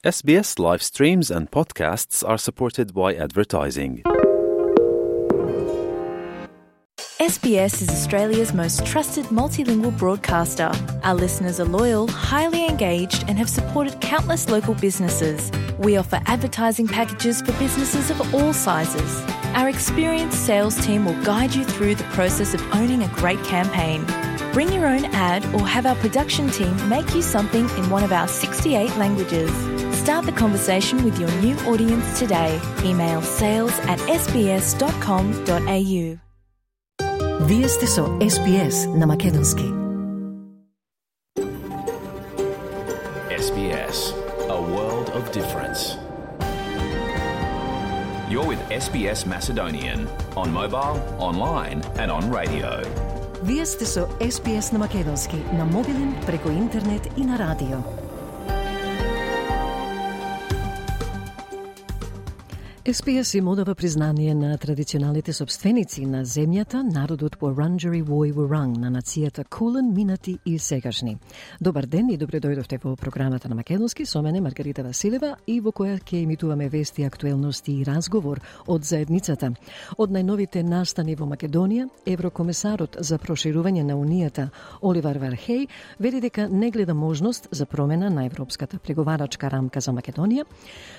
SBS live streams and podcasts are supported by advertising. SBS is Australia's most trusted multilingual broadcaster. Our listeners are loyal, highly engaged, and have supported countless local businesses. We offer advertising packages for businesses of all sizes. Our experienced sales team will guide you through the process of owning a great campaign. Bring your own ad or have our production team make you something in one of our 68 languages. Start the conversation with your new audience today. Email sales@sbs.com.au. Вие сте со SBS на македонски. SBS, a world of difference. You're with SBS Macedonian on mobile, online and on radio. Вие сте со SBS на македонски на мобилен, преку интернет и на радио. SBS им одава признание на традиционалните собственици на земјата, народот Wurundjeri Woi Wurrung, на нацијата Кулен, минати и сегашни. Добар ден и добре дојдовте во програмата на македонски со мене Маргарита Василева и во која ќе емитуваме вести, актуелности и разговор од заедницата. Од најновите настани во Македонија, еврокомесарот за проширување на Унијата Оливер Вархеј вели дека не гледа можност за промена на европската преговарачка рамка за Македонија,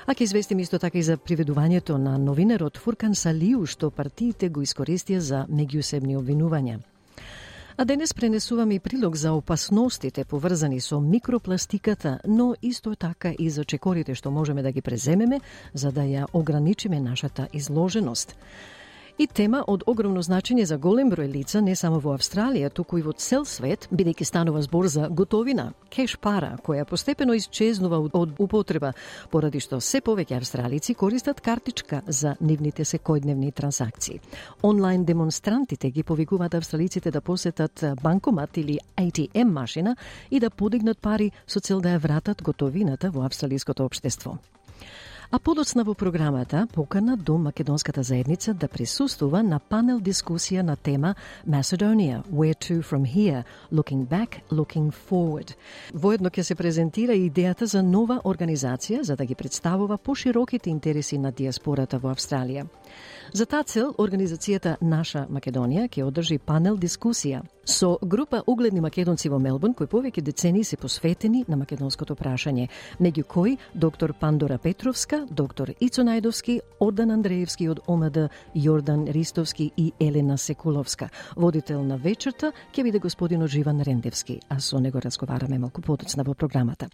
а ќе известим исто така и за приведување на новинерот Фуркан Салиу, што партиите го искористија за меѓусебни обвинувања. А денес пренесуваме и прилог за опасностите поврзани со микропластиката, но исто така и за чекорите што можеме да ги преземеме за да ја ограничиме нашата изложеност. И тема од огромно значење за голем број лица не само во Австралија, туку и во цел свет, бидејќи станува збор за готовина, кеш пара, која постепено исчезнува од употреба, поради што се повеќе австралици користат картичка за нивните секојдневни трансакции. Онлайн демонстрантите ги повикуваат австралиците да посетат банкомат или ATM машина и да подигнат пари со цел да ја вратат готовината во австралиското општество. А подоцна во програмата покана до македонската заедница да присуствува на панел дискусија на тема Macedonia, Where to from here, Looking back, looking forward. Воедно ќе се презентира и идејата за нова организација за да ги представува пошироките интереси на диаспората во Австралија. За таа цел, организацијата Наша Македонија ќе одржи панел дискусија со група угледни македонци во Мелбурн кои повеќе децении се посветени на македонското прашање, меѓу кои доктор Пандора Петровска, доктор Ицо Најдовски, Ордан Андреевски од ОМД, Јордан Ристовски и Елена Секуловска. Водител на вечерта ќе биде господинот Живан Рендевски, а со него разговараме малку подоцна во програмата.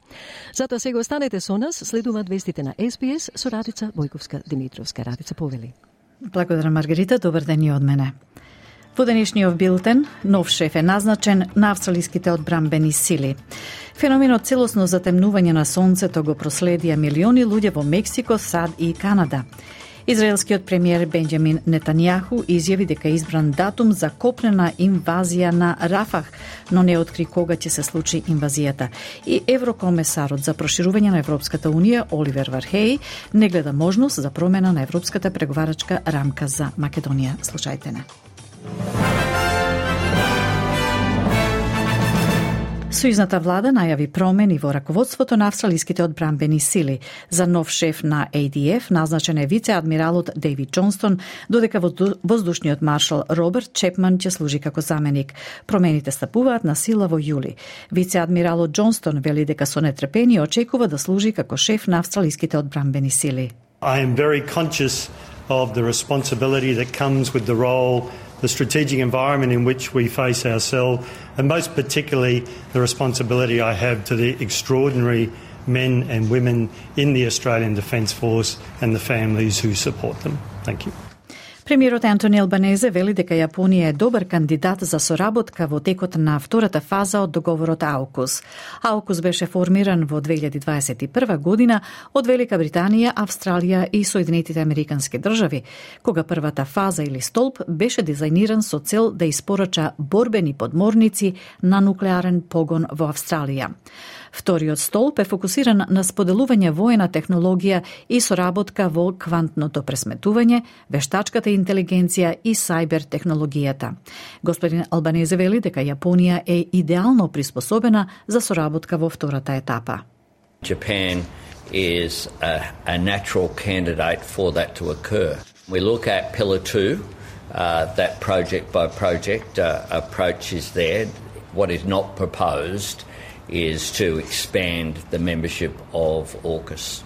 Затоа сега останете со нас, следуваат вестите на SBS со Радица Бојковска-Димитровска. Радица, повели. Благодарам, Маргарита. Добар ден и од мене. Во денешниот билтен, нов шеф е назначен на австралиските одбранбени сили. Феноменот целосно затемнување на сонцето го проследија милиони луѓе во Мексико, САД и Канада. Израелскиот премиер Бенџамин Нетањаху изјави дека е избран датум за копнена инвазија на Рафах, но не откри кога ќе се случи инвазијата. И еврокомесарот за проширување на Европската унија Оливер Вархеј не гледа можност за промена на европската преговарачка рамка за Македонија. Слушајте не. Сојузната влада најави промени во раководството на австралиските одбранбени сили. За нов шеф на ADF назначен е вице-адмиралот Дейвид Џонстон, додека воздушниот маршал Роберт Чепман ќе служи како заменик. Промените стапуваат на сила во јули. Вице-адмиралот Џонстон вели дека со нетрпение очекува да служи како шеф на австралиските одбранбени сили. I am very conscious of the responsibility that comes with the role, the strategic environment in which we face ourselves, and most particularly the responsibility I have to the extraordinary men and women in the Australian Defence Force and the families who support them. Thank you. Премиерот Антони Албанезе вели дека Јапонија е добар кандидат за соработка во текот на втората фаза од договорот AUKUS. AUKUS беше формиран во 2021 година од Велика Британија, Австралија и Соединетите Американски држави, кога првата фаза или столб беше дизајниран со цел да испорача борбени подморници на нуклеарен погон во Австралија. Вториот столб е фокусиран на споделување воена технологија и соработка во квантното пресметување, вештачката интелигенција и сајбер технологијата. Господин Албанезе вели дека Јапонија е идеално приспособена за соработка во втората етапа. Japan is a natural candidate for that to occur. We look at Pillar 2, that project by project approach is there. What is not proposed is to expand the membership of AUKUS.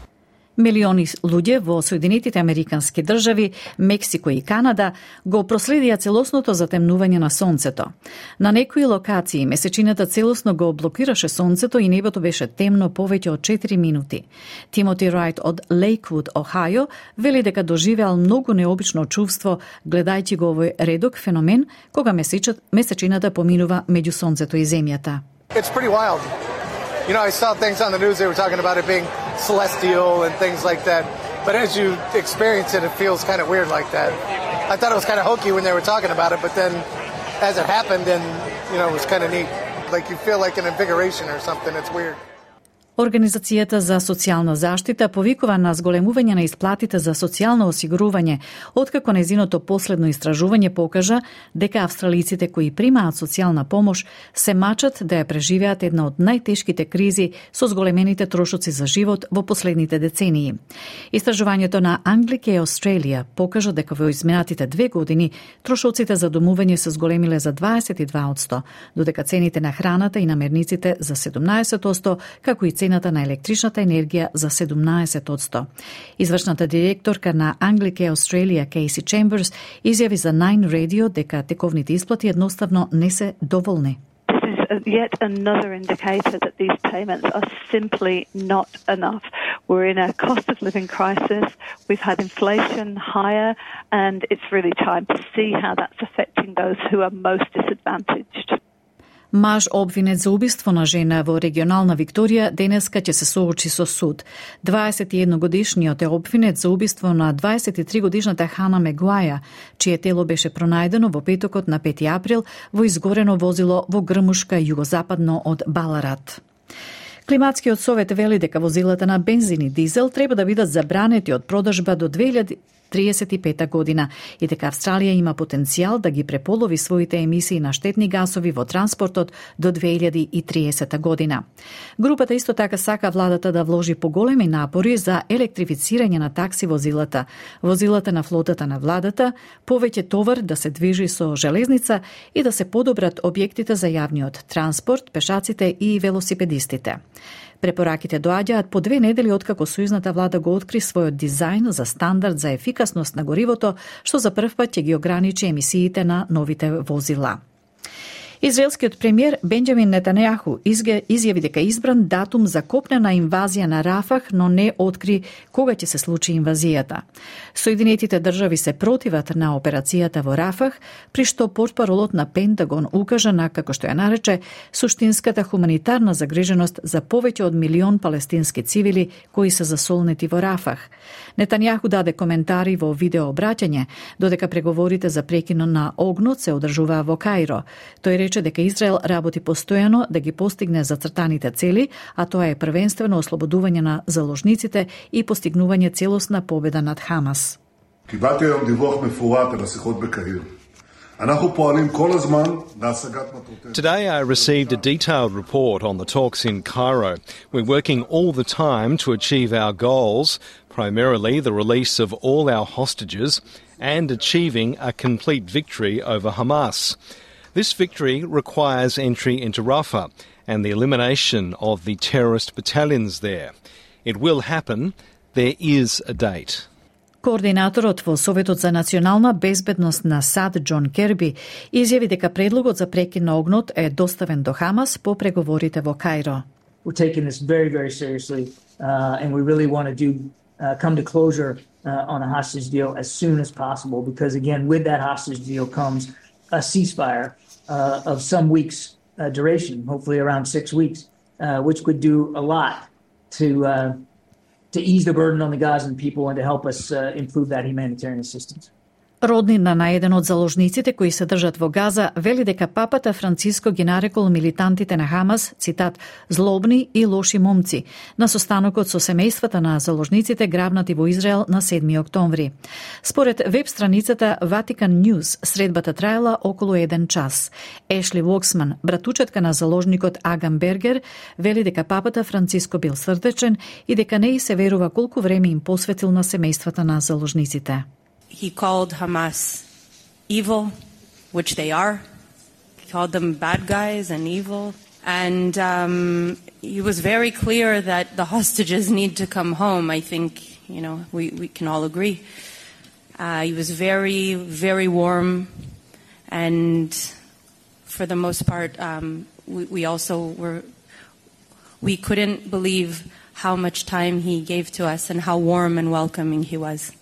Милиони луѓе во Соединетите Американски држави, Мексико и Канада го проследија целосното затемнување на сонцето. На некои локации месечината целосно го блокираше сонцето и небото беше темно повеќе од 4 минути. Тимоти Рајт од Лейквуд, Охајо, вели дека доживеал многу необично чувство гледајќи го овој редок феномен кога месечината поминува меѓу сонцето и земјата. It's pretty wild. You know, I saw things on the news, they were talking about it being celestial and things like that. But as you experience it, it feels kind of weird like that. I thought it was kind of hokey when they were talking about it, but then as it happened, then, you know, it was kind of neat. Like you feel like an invigoration or something. It's weird. Организацијата за социјална заштита повикува на зголемување на исплатите за социјално осигурување, откако нејзиното последно истражување покажа дека австралиците кои примаат социјална помош се мачат да ја преживеат една од најтешките кризи со зголемените трошоци за живот во последните децении. Истражувањето на Anglicare Australia покажа дека во изминатите 2 години трошоците за домување се зголемиле за 22%, додека цените на храната и намерниците за 17%, како и цената на електричната енергија за 17%. Извршната директорка на Anglicare Australia, Casey Chambers, изјави за Nine Radio дека тековните исплати едноставно не се доволни. Yet another indicator that these payments are simply not enough. We're in a cost of living crisis. We've had inflation higher, and it's really time to see how that's affecting those who are most disadvantaged. Маж обвинет за убиство на жена во регионална Викторија денеска ќе се соочи со суд. 21-годишниот е обвинет за убиство на 23-годишната Хана Мегуаја, чие тело беше пронајдено во петокот на 5 април во изгорено возило во грмушка југозападно од Баларат. Климатскиот совет вели дека возилата на бензин и дизел треба да бидат забранети од продажба до 2035 година и дека Австралија има потенцијал да ги преполови своите емисии на штетни гасови во транспортот до 2030 година. Групата исто така сака владата да вложи поголеми напори за електрифицирање на такси возилата, возилата на флотата на владата, повеќе товар да се движи со железница и да се подобрат објектите за јавниот транспорт, пешаците и велосипедистите. Препораките доаѓаат по 2 недели откако сојузната влада го откри својот дизајн за стандард за ефикасност на горивото, што за прв пат ќе ги ограничи емисиите на новите возила. Израелскиот премиер Бенџамин Нетањаху изјави дека избран датум за копнена инвазија на Рафах, но не откри кога ќе се случи инвазијата. Соединетите држави се противат на операцијата во Рафах, при што портпаролот на Пентагон укажа на, како што ја нарече, суштинската хуманитарна загриженост за повеќе од 1 милион палестински цивили кои се засолнети во Рафах. Нетањаху даде коментари во видео обраќање, додека преговорите за прекинот на огнот се одржуваа во Каиро. Тој рече дека Израел работи постојано да ги постигне зацртаните цели, а тоа е првенствено ослободување на заложниците и постигнување целосна победа над Хамас. קיבלתי היום דיווח מפורט על השיחות בקהיר. אנחנו פועלים כל הזמן להשגת מטרותינו. Today I received a detailed report on the talks in Cairo. We're working all the time to achieve our goals, primarily the release of all our hostages and achieving a complete victory over Hamas. This victory requires entry into Rafah and the elimination of the terrorist battalions there. It will happen. There is a date. Координаторот во Советот за национална безбедност на САД Џон Керби изјави дека предлогот за прекин на огнот е доставен до Хамас по преговорите во Каиро. We're taking this very, very seriously, and we really want to come to closure on a hostage deal as soon as possible, because again, with that hostage deal comes a ceasefire of some weeks duration, hopefully around 6 weeks, which could do a lot to ease the burden on the Gazan people and to help us improve that humanitarian assistance. Роднина на еден од заложниците кои се држат во Газа вели дека папата Франциско ги нарекол милитантите на Хамас, цитат, злобни и лоши момци, на состанокот со семејствата на заложниците грабнати во Израел на 7 октомври. Според веб страницата Vatican News, средбата траела околу 1 час. Ешли Воксман, братучетка на заложникот Агам Бергер, вели дека папата Франциско бил срдечен и дека не и се верува колку време им посветил на семејствата на заложниците. He called Hamas evil, which they are. He called them bad guys and evil. And he was very clear that the hostages need to come home. I think, we can all agree. He was very, very warm. And for the most part, we couldn't believe how much time he gave to us and how warm and welcoming he was.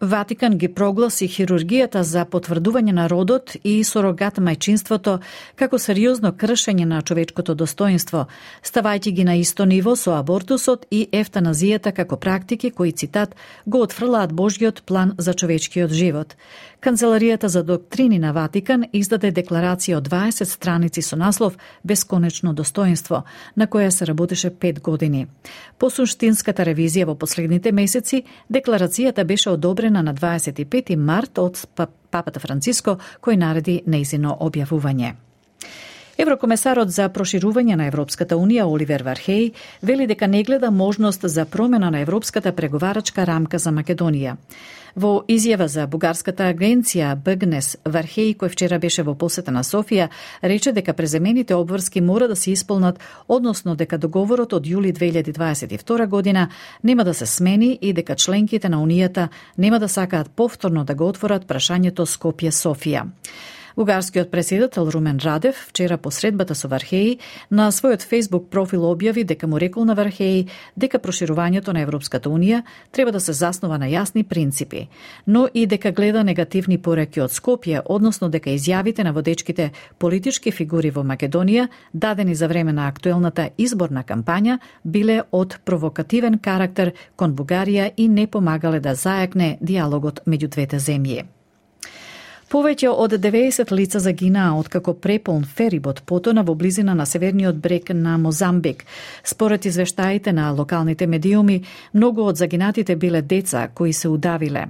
Ватикан ги прогласи хирургијата за потврдување на родот и сурогат мајчинството како сериозно кршење на човечкото достоинство, ставајќи ги на исто ниво со абортусот и ефтаназијата како практики кои, цитат, го отфрлаат Божјиот план за човечкиот живот. Канцеларијата за доктрини на Ватикан издаде декларација од 20 страници со наслов «Бесконечно достоинство», на која се работеше 5 години. По суштинската ревизија во последните месеци, декларацијата беше одобрена на 25 март од папата Франциско, кој нареди нејзино објавување. Еврокомесарот за проширување на Европската Унија Оливер Вархеј вели дека не гледа можност за промена на европската преговарачка рамка за Македонија. Во изјава за бугарската агенција БГНЕС, Вархеј, кој вчера беше во посета на Софија, рече дека преземените обврски мора да се исполнат, односно дека договорот од јули 2022 година нема да се смени и дека членките на Унијата нема да сакаат повторно да го отворат прашањето Скопје-Софија. Бугарскиот претседател Румен Радев вчера по средбата со Вархеј на својот Facebook профил објави дека му рекол на Вархеј дека проширувањето на Европската Унија треба да се заснова на јасни принципи, но и дека гледа негативни пораки од Скопје, односно дека изјавите на водечките политички фигури во Македонија, дадени за време на актуелната изборна кампања, биле од провокативен карактер кон Бугарија и не помагале да зајакне диалогот меѓу двете земји. Повеќе од 90 лица загинаа откако преполн ферибот потона во близина на северниот брег на Мозамбик. Според извештаите на локалните медиуми, многу од загинатите биле деца кои се удавиле.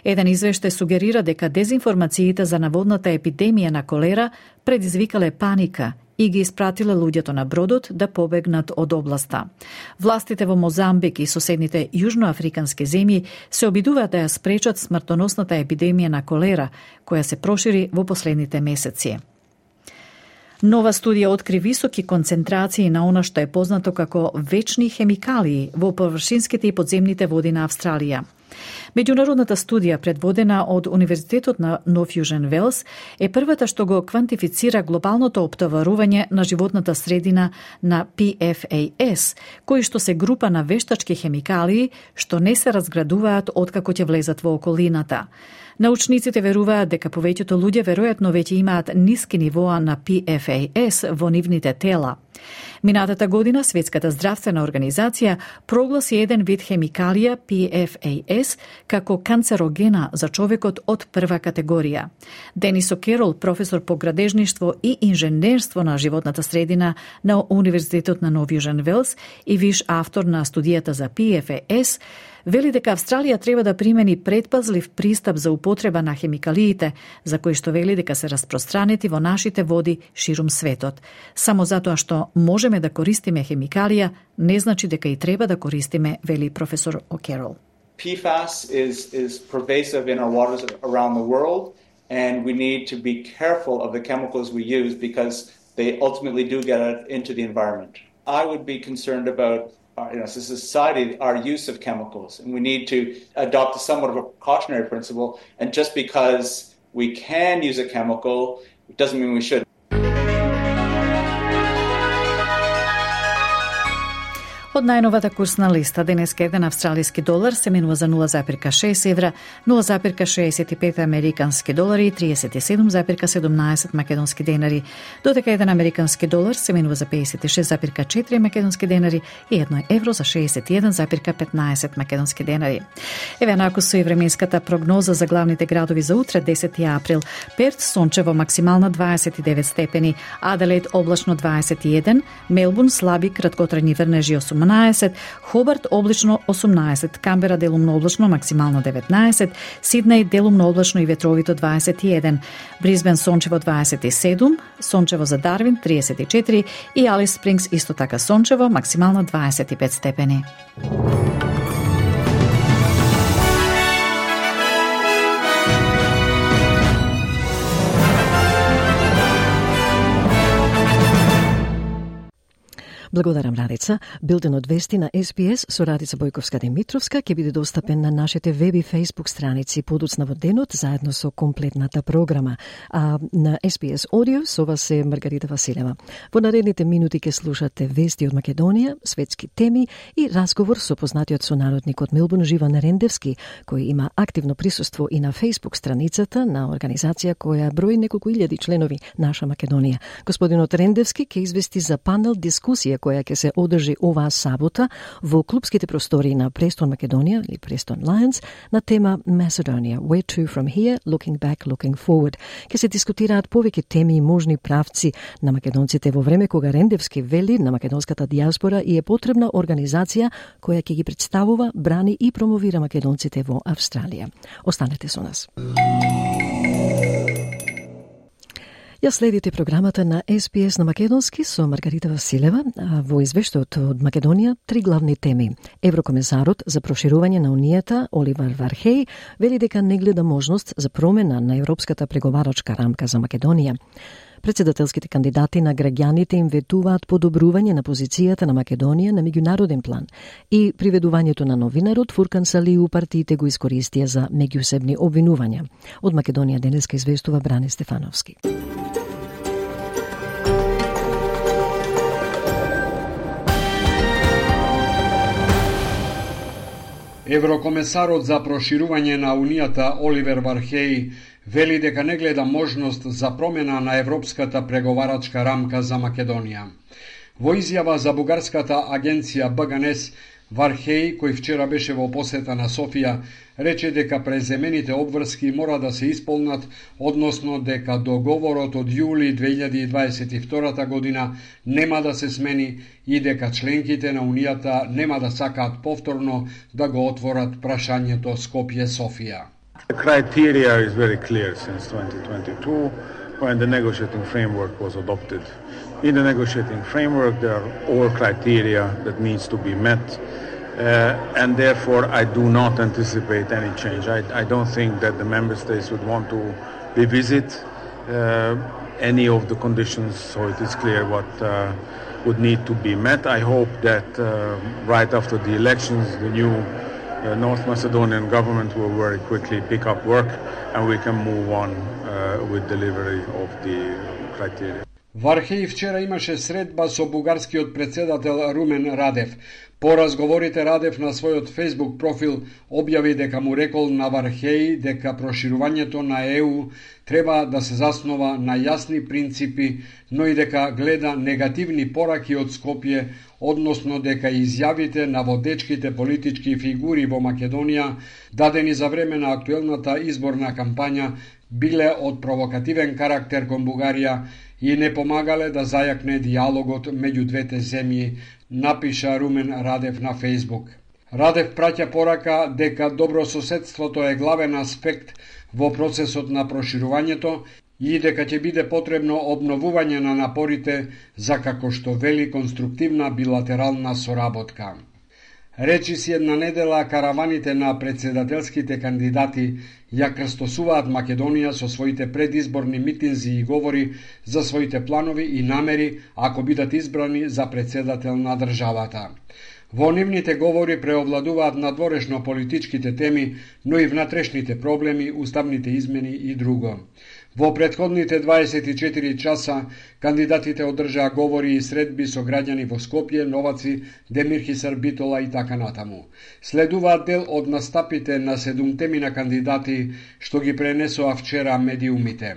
Еден извештај сугерира дека дезинформациите за наводната епидемија на колера предизвикале паника и ги испратиле луѓето на бродот да побегнат од областа. Властите во Мозамбик и соседните јужноафрикански земји се обидуваат да ја спречат смртоносната епидемија на колера, која се прошири во последните месеци. Нова студија откри високи концентрации на она што е познато како вечни хемикалии во површинските и подземните води на Австралија. Меѓународната студија, предводена од Универзитетот на Нов Јужен Велс, е првата што го квантифицира глобалното оптоварување на животната средина на PFAS, кои што се група на вештачки хемикалии што не се разградуваат откако ќе влезат во околината. Научниците веруваат дека повеќето луѓе веројатно веќе имаат ниски нивоа на PFAS во нивните тела. Минатата година Светската здравствена организација прогласи еден вид хемикалија PFAS како канцерогена за човекот од прва категорија. Денис О'Керол, професор по градежништво и инженерство на животната средина на Универзитетот на Нов Јужен Велс и виш автор на студијата за PFAS, вели дека Австралија треба да примени предпазлив пристап за употреба на хемикалиите, за кои што вели дека се распространети во нашите води ширум светот. Само затоа што можеме да користиме хемикалија, не значи дека и треба да користиме, вели професор О'Керол. PFAS is pervasive in our waters around the world, and we need to be careful of the chemicals we use because they ultimately do get into the environment. I would be concerned about as a society, our use of chemicals, and we need to adopt somewhat of a precautionary principle. And just because we can use a chemical, it doesn't mean we should. Од најновата курсна листа, денеска еден австралиски долар се менува за 0,6 евра, 0,65 американски долари и 37,17 македонски денари, додека еден американски долар се менува за 56,4 македонски денари и 1 евро за 61,15 македонски денари. Еве наку со и временската прогноза за главните градови за утре, 10 април. Перт сончево максимална 29 степени, Аделаид облачно 21, Мелбурн слаби краткотрајни врнежи 18, Хобарт облачно 18, Камбера делумно облачно максимално 19, Сиднеј делумно облачно и ветровито 21, Брисбен сончево 27, сончево за Дарвин 34 и Алис Спрингс исто така сончево максимално 25 степени. Благодарам, Радица. Билтенот вести на SBS со Радица Бојковска-Димитровска ќе биде достапен на нашите веб и фейсбук страници подоцна во денот заедно со комплетната програма. А на SBS Audio со вас е Маргарита Василева. Во наредните минути ќе слушате вести од Македонија, светски теми и разговор со познатиот сонародник од Мелбурн Живан Рендевски, кој има активно присуство и на фейсбук страницата на организација која брои неколку илјади членови Наша Македонија. Господинот Рендевски ќе извести за панел дискусија која ќе се одржи оваа сабота во клубските простори на Престон Македонија или Престон Lions на тема Macedonia, Where to from here, looking back, looking forward. Ќе се дискутираат повеќе теми и можни правци на македонците во време кога Рендевски вели на македонската диаспора и е потребна организација која ќе ги представува, брани и промовира македонците во Австралија. Останете со нас. Ја следите програмата на SBS на македонски со Маргарита Василева. Во извештајот од Македонија, 3 главни теми. Еврокомесарот за проширување на Унијата, Оливер Вархеј, вели дека не гледа можност за промена на европската преговарачка рамка за Македонија. Председателските кандидати на граѓаните им ветуваат подобрување на позицијата на Македонија на меѓународен план и приведувањето на новинарот Фуркан Салиу партиите го искористија за меѓусебни обвинувања. Од Македонија денеска известува Бране Стефановски. Еврокомесарот за проширување на Унијата Оливер Вархеј вели дека не гледа можност за промена на европската преговарачка рамка за Македонија. Во изјава за бугарската агенција БГНС, Вархеј, кој вчера беше во посета на Софија, рече дека преземените обврски мора да се исполнат, односно дека договорот од јули 2022 година нема да се смени и дека членките на Унијата нема да сакаат повторно да го отворат прашањето Скопје-Софија. The criteria is very clear since 2022 when the negotiating framework was adopted. In the negotiating framework there are all criteria that needs to be met. And therefore I do not anticipate any change. I don't think that the member states would want to revisit any of the conditions, so it is clear what would need to be met. I hope that right after the elections the new North Macedonian government will very quickly pick up work and we can move on with delivery of the criteria. Вархеј вчера имаше средба со бугарскиот председател Румен Радев. По разговорите Радев на својот Facebook профил објави дека му рекол на Вархеј дека проширувањето на ЕУ треба да се заснова на јасни принципи, но и дека гледа негативни пораки од Скопје, односно дека изјавите на водечките политички фигури во Македонија, дадени за време на актуелната изборна кампања, биле од провокативен карактер кон Бугарија и не помагале да зајакне диалогот меѓу двете земји, напиша Румен Радев на Facebook. Радев праќа порака дека добрососедството е главен аспект во процесот на проширувањето и дека ќе биде потребно обновување на напорите за, како што вели, конструктивна билатерална соработка. Речи си една недела караваните на председателските кандидати ја крстосуваат Македонија со своите предизборни митинзи и говори за своите планови и намери ако бидат избрани за председател на државата. Во нивните говори преовладуваат надворешно политичките теми, но и внатрешните проблеми, уставните измени и друго. Во претходните 24 часа кандидатите одржаа говори и средби со граѓани во Скопје, Новаци, Демирхисар, Битола и така натаму. Следуваат дел од настапите на 7 кандидати што ги пренесоа вчера медиумите.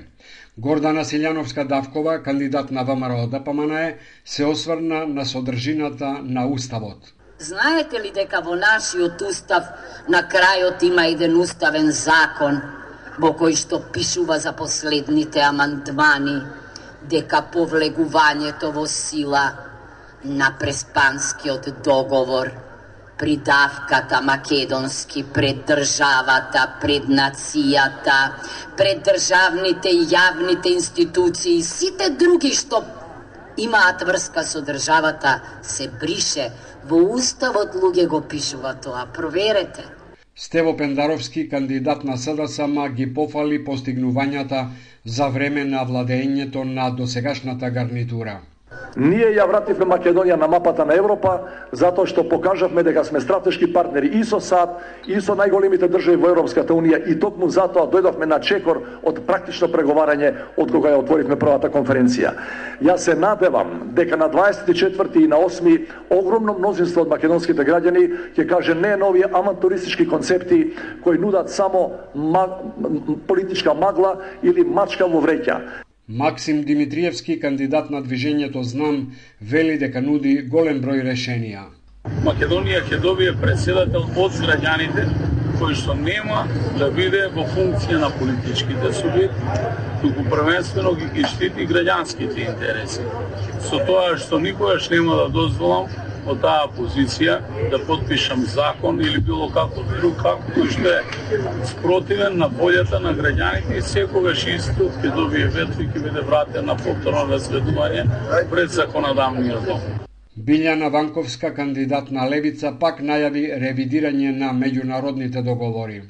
Гордана Силјановска-Давкова, кандидат на ВМРО ДПМН, се осврна на содржината на Уставот. Знаете ли дека во нашиот устав на крајот има еден уставен закон во кој што пишува за последните амандмани дека повлегувањето во сила на Преспанскиот договор, придавката македонски пред државата, пред нацијата, пред државните и јавните институции, сите други што имаат врска со државата, се брише. Во уставот луѓе го пишува тоа, проверете. Стево Пендаровски, кандидат на СДСМ, ги пофали постигнувањата за време на владењето на досегашната гарнитура. Ние ја вративме Македонија на мапата на Европа затоа што покажавме дека сме стратешки партнери и со САД, и со најголемите држави во Европската Унија и токму затоа дојдовме на чекор од практично преговарање од кога ја отворивме првата конференција. Јас се надевам дека на 24 и на 8 огромно мнозинство од македонските граѓани ќе каже не на овие авантуристички концепти кои нудат само политичка магла или мачка во вреќа. Максим Димитриевски, кандидат на движењето Знам, вели дека нуди голем број решенија. Македонија ќе добие председател од граѓаните, кој што нема да биде во функција на политичките субјекти, туку првенствено ги штити граѓанските интереси. Со тоа што никогаш нема да дозволам од таа позиција да потпишам закон или било како друг кој што е спротивен на волјата на граѓаните и секогаш исто ќе добие вето и ќе биде вратен на повторно разгледување пред законодавниот дом. Билјана Ванковска, кандидат на Левица, пак најави ревидирање на меѓународните договори.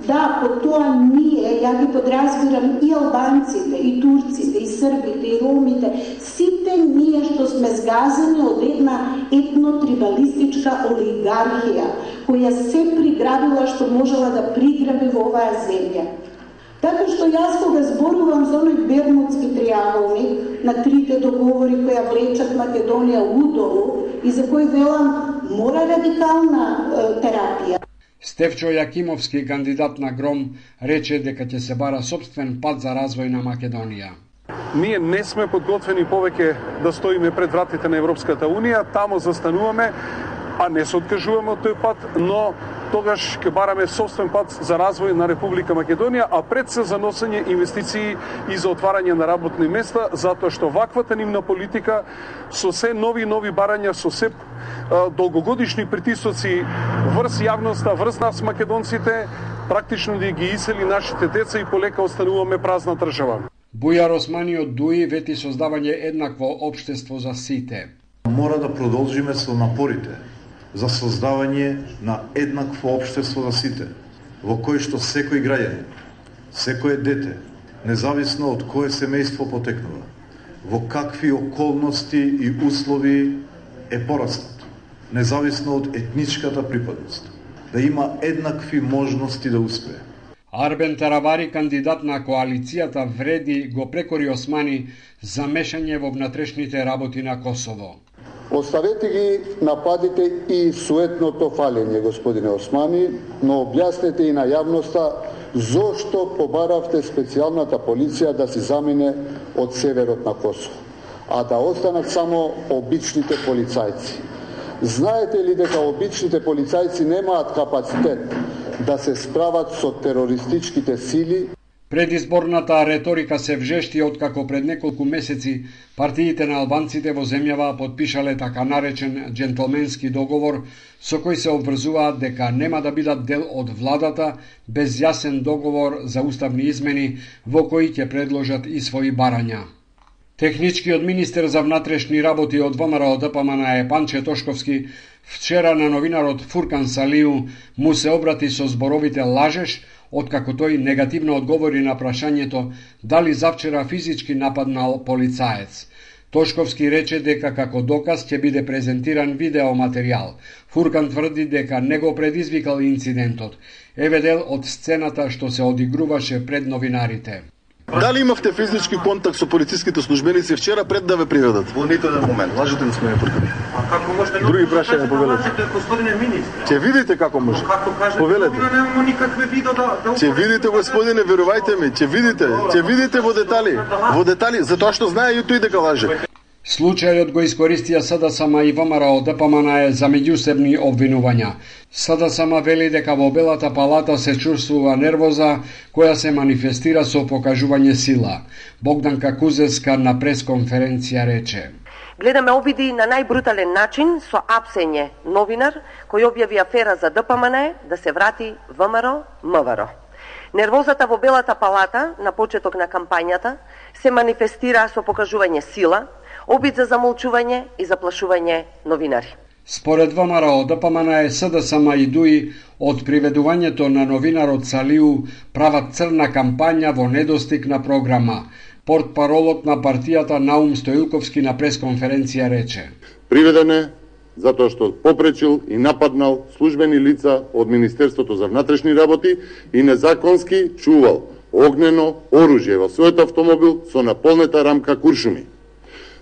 Да, по тоа ние, ја ги подразбирам и албанците, и турците, и србите, и ромите, сите ние што сме згазени од една етно-трибалистичка олигархија, која се приграбила што можела да приграби во оваа земја. Така што јас кога зборувам за оној бермудски триаголник на трите договори која влечат Македонија удолу и за кој велам мора радикална терапија. Стефчо Јакимовски, кандидат на Гром, рече дека ќе се бара собствен пат за развој на Македонија. Ние не сме подготвени повеќе да стоиме пред вратите на Европската Унија, тамо застануваме, а не се откажуваме од тој пат, но тогаш ќе бараме собствен пат за развој на Република Македонија, а пред се за носење инвестиции и за отварање на работни места, затоа што ваквата нивна политика со се нови барања, со се долгогодишни притисоци врз јавноста, врз нас македонците, практично да ги исели нашите деца и полека остануваме празна држава. Бујар Османи од ДУИ вети создавање еднакво општество за сите. Мора да продолжиме со напорите за создавање на еднакво општество за сите, во кој што секој граѓанин, секое дете, независно од кое семејство потекнува, во какви околности и услови е пораснат, независно од етничката припадност, да има еднакви можности да успее. Арбен Таравари, кандидат на коалицијата Вреди, го прекори Османи за мешање во внатрешните работи на Косово. Оставете ги нападите и суетното фалење, господине Османи, но објаснете и на јавноста зошто побаравте специјалната полиција да се замине од северот на Косово, а да останат само обичните полицајци. Знаете ли дека обичните полицајци немаат капацитет да се справат со терористичките сили? Предизборната реторика се вжешти откако пред неколку месеци партиите на албанците во земјава потпишале така наречен джентлменски договор со кој се обврзуваат дека нема да бидат дел од владата без јасен договор за уставни измени во кои ќе предложат и своји барања. Техничкиот министер за внатрешни работи од ВМРО ДПМН Панче Тошковски вчера на новинарот Фуркан Салиу му се обрати со зборовите лажеш, откако тој негативно одговори на прашањето дали завчера физички нападнал полицаец. Тошковски рече дека како доказ ќе биде презентиран видеоматеријал. Фуркан тврди дека не го предизвикал инцидентот. Еве дел од сцената што се одигруваше пред новинарите. Дали имавте физички контакт со полициските службеници вчера пред да ве приведат? Во ниту еден момент. Лажете, господин Прокопиев. А како може да други прашања повелете? Господине министр. Ќе видите како може. Повелете. Немamo никакве видео да Ќе видите, господине, верувајте ми, ќе видите во детали. Во детали, затоа што знае и тој дека лаже. Случајот го искористија СДСМ и ВМРО ДПМН за меѓусебни обвинувања. СДСМ вели дека во Белата палата се чувствува нервоза која се манифестира со покажување сила. Богданка Кузеска на пресконференција рече: Гледаме обиди на најбрутален начин со апсење новинар кој објави афера за ДПМН да се врати ВМРО МВР. Нервозата во Белата палата на почеток на кампањата се манифестира со покажување сила, обид за замолчување и заплашување новинари. Според ВМРО ДПМН, СДСМ и ДУИ од приведувањето на новинарот Салиу прават црна кампања во недостиг на програма. Портпаролот на партијата Наум Стоилковски на пресконференција рече: Приведен е затоа што попречил и нападнал службени лица од Министерството за внатрешни работи и незаконски чувал огнено оружје во својот автомобил со наполнета рамка куршуми.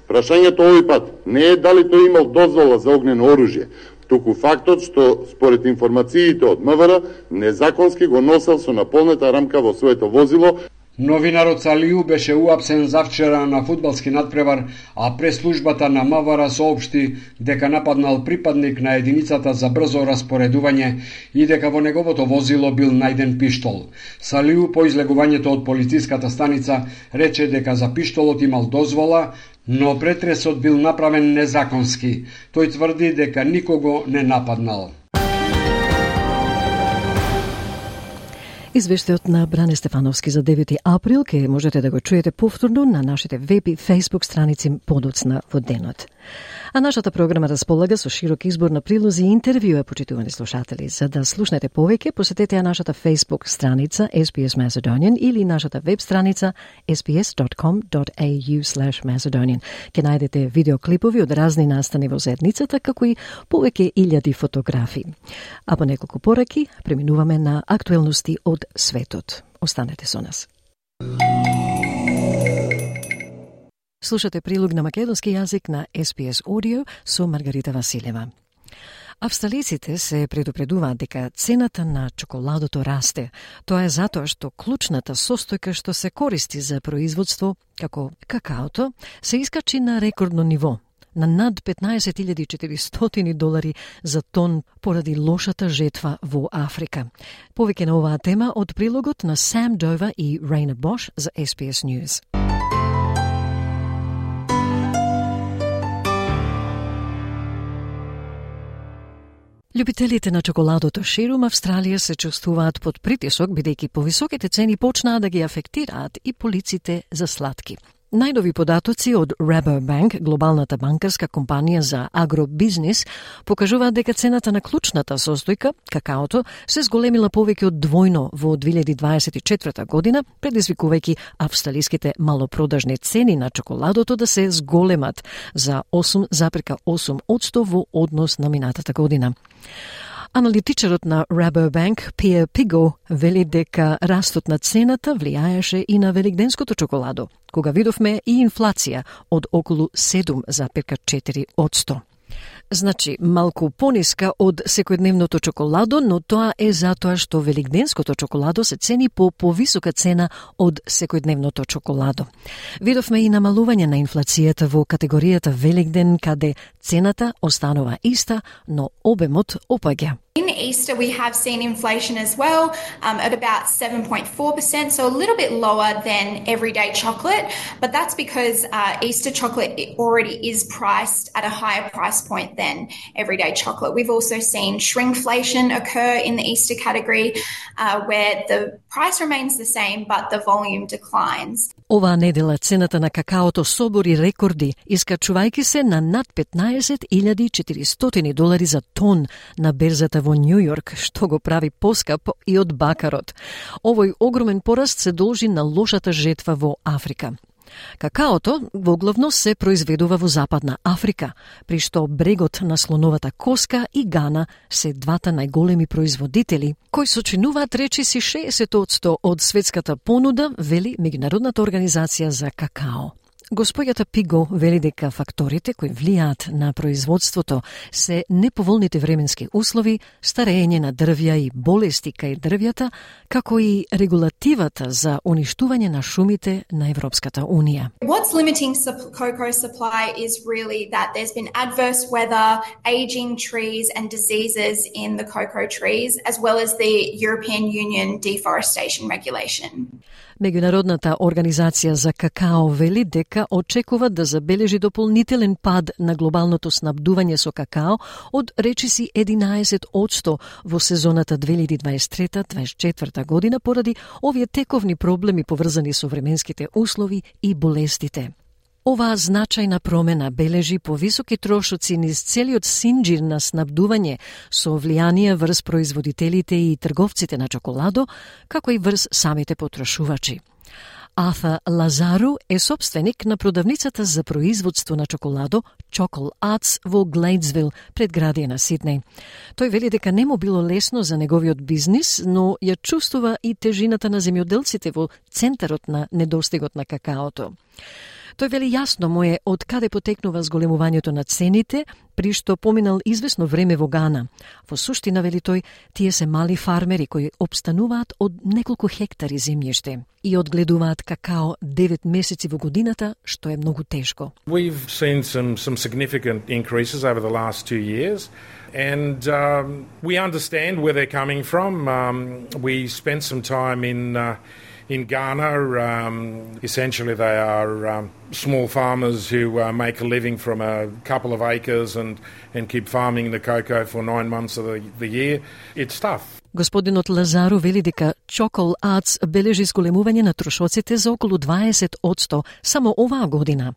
Прашањето овој пат не е дали тој имал дозвола за огнено оружје, туку фактот што според информациите од МВР незаконски го носел со наполнета рамка во своето возило. Новинарот Салиу беше уапсен завчера на фудбалски надпревар, а преслужбата на МВР соопшти дека нападнал припадник на единицата за брзо распоредување и дека во неговото возило бил најден пиштол. Салиу по излегувањето од полициската станица рече дека за пиштолот имал дозвола, но претресот бил направен незаконски. Тој тврди дека никого не нападнал. Извештајот на Бране Стефановски за 9 април ке можете да го чуете повторно на нашите веб и фейсбук страници подоцна во денот. А нашата програма располага со широк избор на прилози и интервјуа, почитувани слушатели. За да слушнете повеќе, посетете ја нашата фейсбук страница SBS Macedonian или нашата веб страница sbs.com.au/Macedonian. Ке најдете видеоклипови од разни настани во заедницата, како и повеќе илјади фотографии. А по неколку пораки преминуваме на актуелности од светот. Останете со нас. Слушате прилог на македонски јазик на SBS Audio со Маргарита Василева. Австралиците се предупредуваат дека цената на чоколадото расте. Тоа е затоа што клучната состојка што се користи за производство, како какаото, се искачи на рекордно ниво, на над $15,400 за тон поради лошата жетва во Африка. Повеќе на оваа тема од прилогот на Сам Дова и Рейна Бош за SBS News. Љубителите на чоколадото ширум Австралија се чувствуваат под притисок, бидејќи повисоките цени почнаа да ги афектираат и полиците за сладки. Најнови податоци од Rabobank, глобалната банкарска компанија за агробизнис, покажуваат дека цената на клучната состојка, какаото, се зголемила повеќе од двојно во 2024 година, предизвикувајќи австралиските малопродажни цени на чоколадото да се зголемат за 8,8% во однос на минатата година. Аналитичарот на Rabobank, Pierre Pigo, вели дека растот на цената влијаеше и на великденското чоколадо, кога видовме и инфлација од околу 7,4%. Значи, малку пониска од секојдневното чоколадо, но тоа е затоа што великденското чоколадо се цени по повисока цена од секојдневното чоколадо. Видовме и намалување на инфлацијата во категоријата Великден, каде цената останува иста, но обемот опаѓа. In Easter, we have seen inflation as well at about 7.4%, so a little bit lower than everyday chocolate, but that's because Easter chocolate already is priced at a higher price point than everyday chocolate. We've also seen shrinkflation occur in the Easter category, where the price remains the same, but the volume declines. Оваа недела цената на какаото собори рекорди, искачувајќи се на над $15,400 за тон на берзата во Нју Јорк, што го прави поскап и од бакарот. Овој огромен пораст се должи на лошата жетва во Африка. Какаото воглавно се произведува во Западна Африка, при што брегот на слоновата коска и Гана се двата најголеми производители, кои сочинуваат речиси 60% од светската понуда, вели Меѓународната организација за какао. Господјата Пиго вели дека факторите кои влијаат на производството се неповолните временски услови, старење на дрвја и болести кај дрвјата, како и регулативата за уништување на шумите на Европската Унија. What's limiting cocoa supply is really that there's been adverse weather, aging trees and diseases in the cocoa trees, as well as the European Union deforestation regulation. Меѓународната организација за какао вели дека очекува да забележи дополнителен пад на глобалното снабдување со какао од речиси 11% во сезоната 2023-2024 година поради овие тековни проблеми поврзани со временските услови и болестите. Оваа значајна промена бележи повисоки трошоци низ целиот синџир на снабдување со влијание врз производителите и трговците на чоколадо, како и врз самите потрошувачи. Арthur Лазару е собственик на продавницата за производство на чоколадо Chocolate Arts во Глејдсвил, предградие на Сиднеј. Тој вели дека не му било лесно за неговиот бизнис, но ја чувствува и тежината на земјоделците во центарот на недостигот на какаото. Тој вели јасно му е од каде потекнува зголемувањето на цените, при што поминал известно време во Гана. Во суштина, вели тој, тие се мали фармери кои обстануваат од неколку хектари земјиште и одгледуваат какао 9 месеци во годината, што е многу тешко. We've seen some significant increases over the last 2 years. And we understand where they're coming from. We spent some time in Ghana. Essentially, they are small farmers who make a living from a couple of acres and keep farming the cocoa for 9 months of the year. It's tough. Господинот Лазару вели дека Chocolate Arts бележи зголемување на трошоците за околу 20% само оваа година.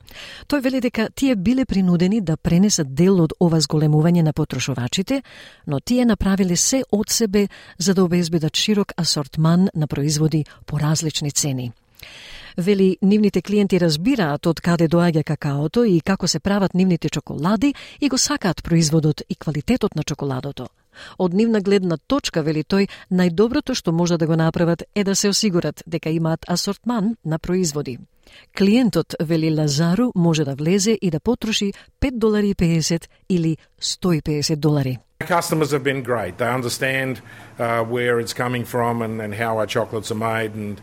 Тој вели дека тие биле принудени да пренесат дел од ова зголемување на потрошувачите, но тие направиле се од себе за да обезбедат широк асортман на производи по различни цени. Вели, нивните клиенти разбираат од каде доаѓа какаото и како се прават нивните чоколади и го сакаат производот и квалитетот на чоколадото. Од нивна гледна точка, вели тој, најдоброто што може да го направат е да се осигурат дека имаат асортман на производи. Клиентот, вели Лазару, може да влезе и да потроши $5.50 или $150. Customers have been great. They understand where it's coming from and how our chocolates are made, and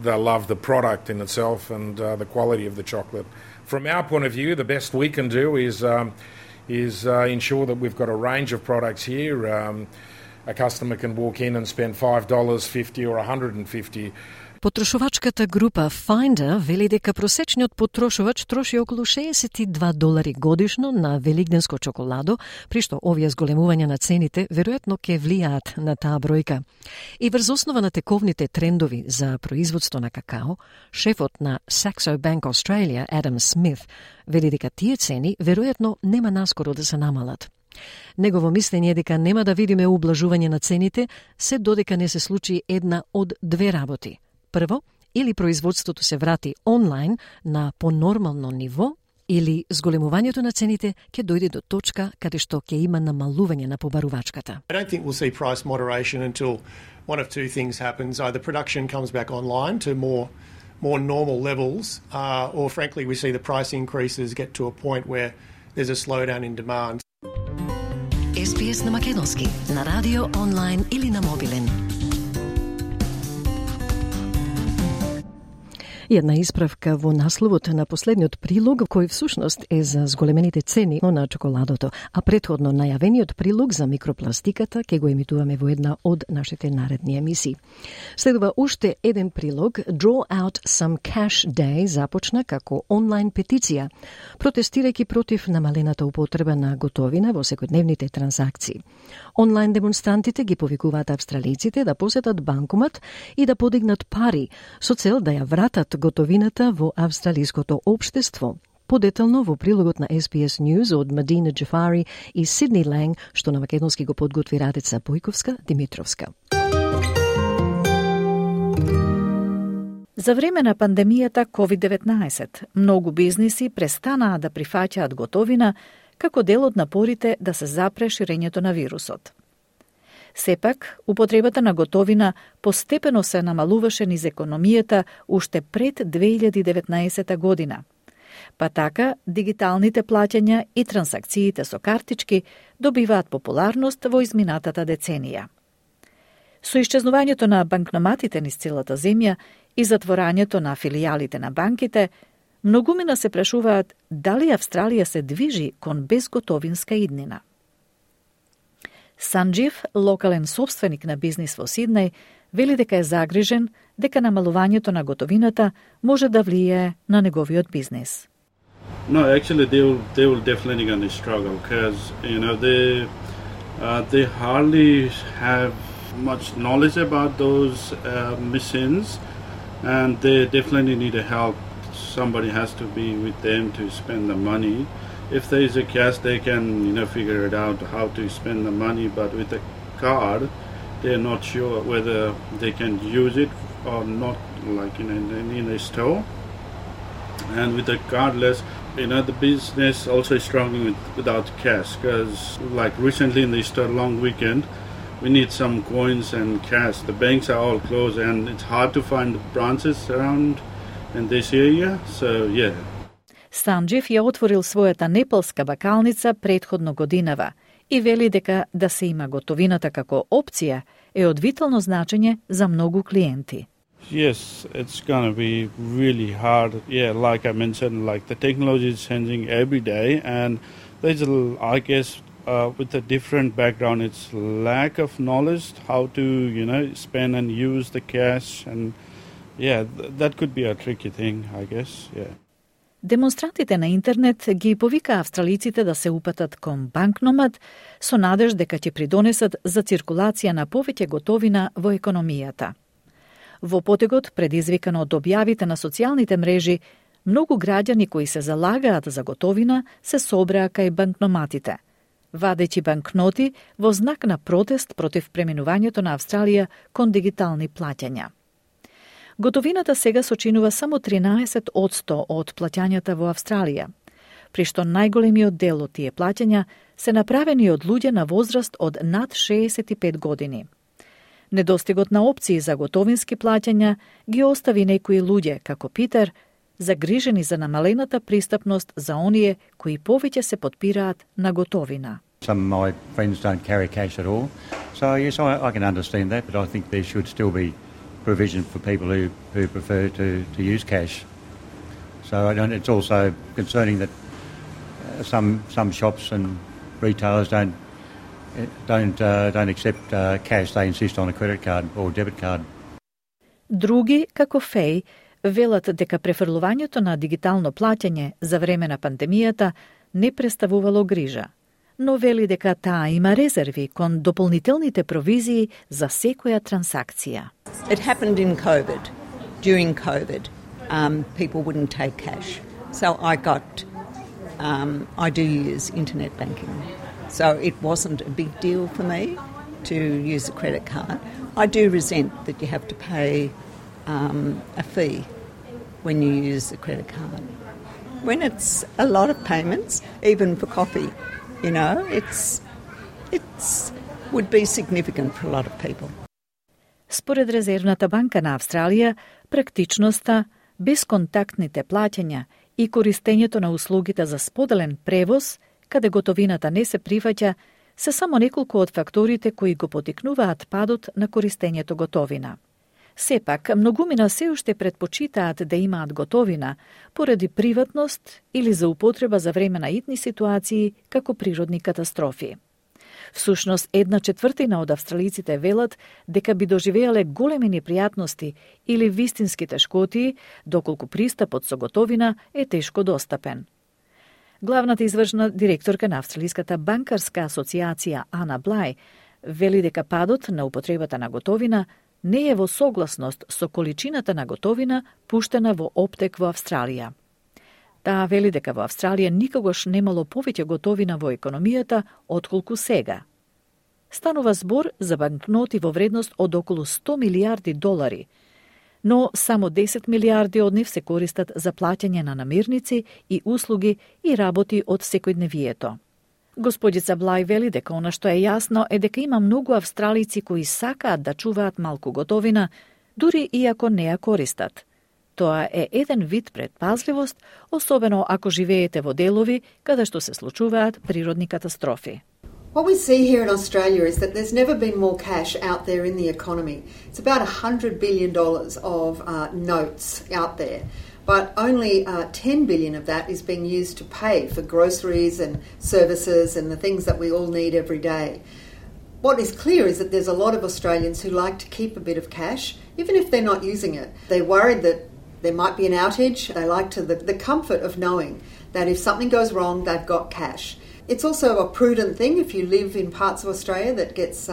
they love the product in itself and the quality of the chocolate. From our point of view, the best we can do is ensure that we've got a range of products here. A customer can walk in and spend $5.50 or $150. Потрошувачката група Finder вели дека просечниот потрошувач троши околу $62 годишно на велигденско чоколадо, при што овие зголемувања на цените веројатно ќе влијаат на таа бројка. И врз основа на тековните трендови за производство на какао, шефот на Saxo Bank Australia, Адам Смит, вели дека тие цени веројатно нема наскоро да се намалат. Негово мислење е дека нема да видиме ублажување на цените се додека не се случи една од две работи. Прво, или производството се врати онлайн на понормално ниво, или зголемувањето на цените ќе дојде до точка каде што ќе има намалување на побарувачката. I don't think we'll see price moderation until one of two things happens. Either production comes back online to more normal levels, or frankly we see the price increases get to a point where there's a slowdown in demand. SPS на македонски, на радио, онлайн или на мобилен. Една исправка во насловот на последниот прилог, кој всушност е за зголемените цени на чоколадото, а претходно најавениот прилог за микропластиката ќе го емитуваме во една од нашите наредни емисии. Следува уште еден прилог, Draw Out Some Cash Day, започна како онлайн петиција, протестирајќи против намалената употреба на готовина во секојдневните транзакции. Онлайн демонстрантите ги повикуваат австралиците да посетат банкомат и да подигнат пари со цел да ја вратат готовината во австралиското општество. Подетално во прилогот на SBS News од Мадина Джафари и Сидни Ланг, што на македонски го подготви Радица Бојковска Димитровска. За време на пандемијата COVID-19, многу бизниси престанаа да прифаќаат готовина како дел од напорите да се запре ширењето на вирусот. Сепак, употребата на готовина постепено се намалуваше низ економијата уште пред 2019 година. Па така, дигиталните плаќања и трансакциите со картички добиваат популарност во изминатата деценија. Со исчезнувањето на банкноматите низ целата земја и затворањето на филијалите на банките, многумина се прашуваат дали Австралија се движи кон безготовинска иднина. Санџив, локален собственик на бизнис во Сиднеј, вели дека е загрижен дека намалувањето на готовината може да влијае на неговиот бизнис. No, actually, they will definitely going to struggle because they hardly have much knowledge about those machines, and they definitely need a help. Somebody has to be with them to spend the money. If there is a cash, they can figure it out how to spend the money. But with a card, they're not sure whether they can use it or not, like in a store. And with the cardless, the business also is struggling without cash because, like recently in the Easter long weekend, we need some coins and cash. The banks are all closed, and it's hard to find branches around in this area. So, yeah. Санџив ја отворил својата непалска бакалница претходно годинава и вели дека да се има готовината како опција е од витално значење за многу клиенти. Yes, it's going to be really hard. Yeah, like I mentioned, like the technology is changing every day, and there's I guess with a different background, it's lack of knowledge how to spend and use the cash, and yeah, that could be a tricky thing, I guess. Yeah. Демонстрантите на интернет ги повика австралиците да се упатат кон банкномат со надеж дека ќе придонесат за циркулација на повеќе готовина во економијата. Во потегот, предизвикан од објавите на социјалните мрежи, многу граѓани кои се залагаат за готовина се собраа кај банкноматите, вадејќи банкноти во знак на протест против преминувањето на Австралија кон дигитални плаќања. Готовината сега сочинува само 13% од плаќањата во Австралија, при што најголемиот дел од тие плаќања се направени од луѓе на возраст од над 65 години. Недостигот на опции за готовински плаќања ги остави некои луѓе, како Питер, загрижени за намалената пристапност за оние кои повеќе се подпираат на готовина. Some of my friends don't carry cash at all. So yes, I can understand that, but I think there should still be provision for people who prefer to use cash. So it's also concerning that some shops and retailers don't accept cash. They insist on a credit card or debit card. Други, како Феј, велат дека префрлувањето на дигитално плаќање за време на пандемијата не представувало грижа, но вели дека таа има резерви кон дополнителните провизии за секоја трансакција. It happened in COVID. During COVID, people wouldn't take cash. So I do use internet banking. So it wasn't a big deal for me to use a credit card. I do resent that you have to pay a fee when you use the credit card. When it's a lot of payments, even for coffee, it's would be significant for a lot of people. Според Резервната банка на Австралија, практичноста, безконтактните плаќања и користењето на услугите за споделен превоз, каде готовината не се прифаќа, се само неколку од факторите кои го потикнуваат падот на користењето готовина. Сепак, многумина се уште предпочитаат да имаат готовина поради приватност или за употреба за време на итни ситуации како природни катастрофи. Всушност, 1/4 од австралиците велат дека би доживеале големи непријатности или вистински тешкотии, доколку пристапот со готовина е тешко достапен. Главната извршна директорка на Австралиската банкарска асоциација Ана Блај вели дека падот на употребата на готовина не е во согласност со количината на готовина пуштена во оптек во Австралија. Таа вели дека во Австралија никогаш немало повеќе готовина во економијата отколку сега. Станува збор за банкноти во вредност од околу $100 милиарди, но само 10 милиарди од нив се користат за плаќање на намирници и услуги и работи од секојдневието. Господица Блај вели дека она што е јасно е дека има многу австралици кои сакаат да чуваат малку готовина, дури и ако не ја користат. Тоа е еден вид предпазливост, особено ако живеете во делови каде што се случуваат природни катастрофи. What we see here in Australia is that there's never been more cash out there in the economy. It's about $100 billion of notes out there, but only $10 billion of that is being used to pay for groceries and services and the things that we all need every day. What is clear is that there's a lot of Australians who like to keep a bit of cash, even if they're not using it. They're worried that there might be an outage. They like the comfort of knowing that if something goes wrong, they've got cash. It's also a prudent thing if you live in parts of Australia that gets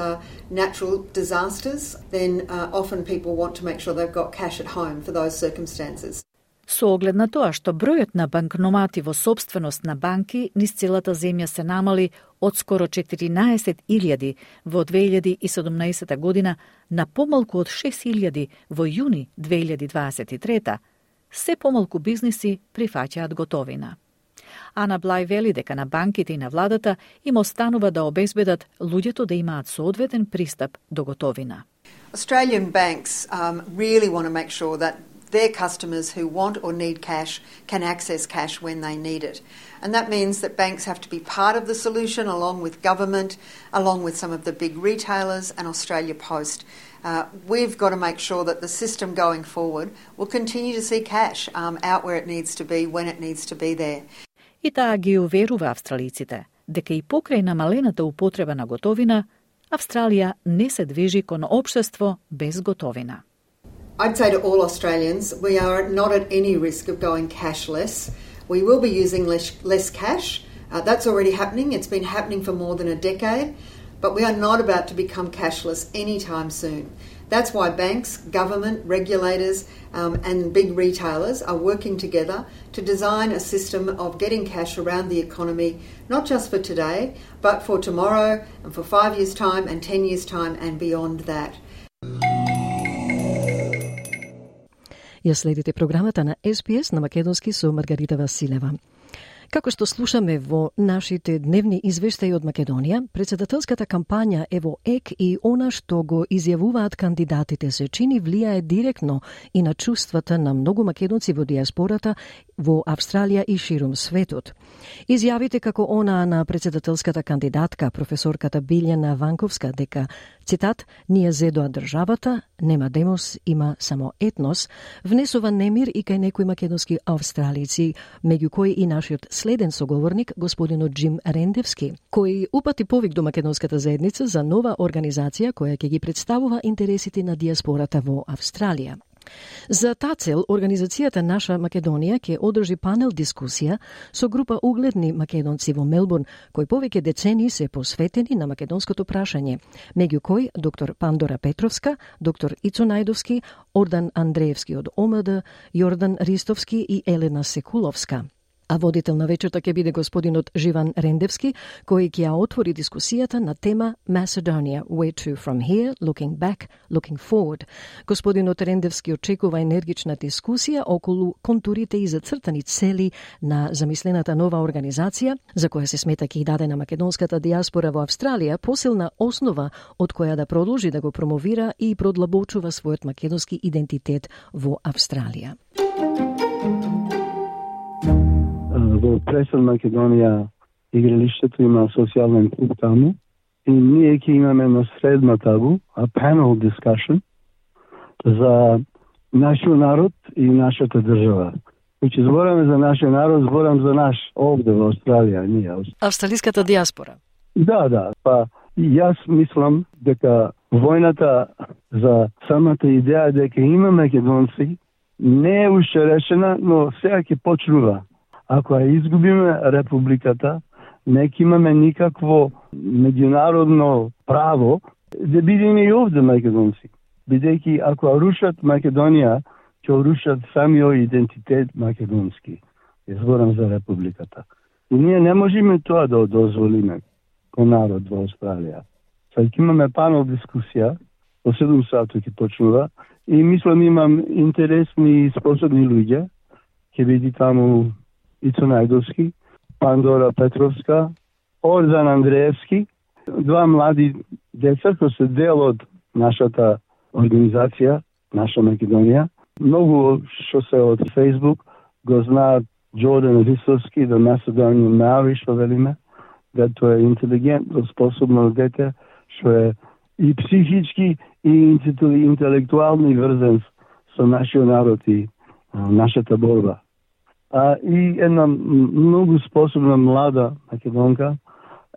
natural disasters, then often people want to make sure they've got cash at home for those circumstances. Со оглед на тоа што бројот на банкномати во сопственост на банки низ целата земја се намали од скоро 14.000 во 2017 година на помалку од 6.000 во јуни 2023, се помалку бизниси прифаќаат готовина. Ана Блај вели дека на банките и на владата им останува да обезбедат луѓето да имаат соодветен пристап до готовина. Australian banks really want to make sure that their customers who want or need cash can access cash when they need it. And that means that banks have to be part of the solution along with government, along with some of the big retailers and Australia Post. We've got to make sure that the system going forward will continue to see cash out where it needs to be, when it needs to be there. И таа ги уверува австралиците дека и покрај намалената употреба на готовина, Австралија не се движи кон општество без готовина. I'd say to all Australians, we are not at any risk of going cashless. We will be using less cash. That's already happening. It's been happening for more than a decade. But we are not about to become cashless anytime soon. That's why banks, government, regulators and big retailers are working together to design a system of getting cash around the economy, not just for today, but for tomorrow and for 5 years' time and 10 years' time and beyond that. Ја следите програмата на SPS на македонски со Маргарита Василева. Како што слушаме во нашите дневни извештаи од Македонија, председателската кампања е во ек и она што го изјавуваат кандидатите се чини влијае директно и на чувствата на многу македонци во диаспората во Австралија и ширум светот. Изјавите како она на председателската кандидатка, професорката Билјана Ванковска, дека, цитат, ние зедоа државата, нема демос, има само етнос, внесува немир и кај некои македонски австралици, меѓу кои и нашиот следен соговорник, господинот Джим Рендевски, кој упати повик до македонската заедница за нова организација која ќе ги представува интересите на диаспората во Австралија. За таа цел, организацијата Наша Македонија ќе одржи панел дискусија со група угледни македонци во Мелбурн, кои повеќе децении се посветени на македонското прашање, меѓу кои доктор Пандора Петровска, доктор Ицо Најдовски, Ордан Андреевски од ОМД, Јордан Ристовски и Елена Секуловска. А водител на вечерта ќе биде господинот Живан Рендевски, кој ќе ја отвори дискусијата на тема Macedonia, Where to from here, looking back, looking forward. Господинот Рендевски очекува енергична дискусија околу контурите и зацртани цели на замислената нова организација, за која се смета ќе даде на македонската диаспора во Австралија посилна основа од која да продолжи да го промовира и продлабочува својот македонски идентитет во Австралија. Во Пресен Македонија игралиштето има социјален клуб таму и ние ќе имаме на средна табу panel discussion за нашиот народ и нашата држава. Значи збораме за нашиот народ, зборам за наш овде во Австралија, ние. Австралиската диаспора. Да, па јас мислам дека војната за самата идеја дека има македонци не е уште решена, но сега ќе почнува. Ако ја изгубиме републиката, не ќе имаме никакво меѓународно право да бидеме и овде македонци. Бидејќи ако ја рушат Македонија, ќе рушат самиот идентитет македонски. Зборам за републиката. И ние не можеме тоа да дозволиме кон народ во Австралија. Сега ќе имаме панел дискусија, во 7 сати ќе почнува и мислам имам интересни и способни луѓе. Ќе биде таму Ицо Најдовски, Пандора Петровска, Ордан Андреевски, два млади деца кои се дел од нашата организација, наша Македонија. Многу што се од Facebook го знаат Джордан Рисовски, да Macedonian Maori, што велиме, да тоа е интелигентно, способно дете, што е и психички, и интелектуално врзан со нашиот народ и нашата борба. И една многу способна млада македонка,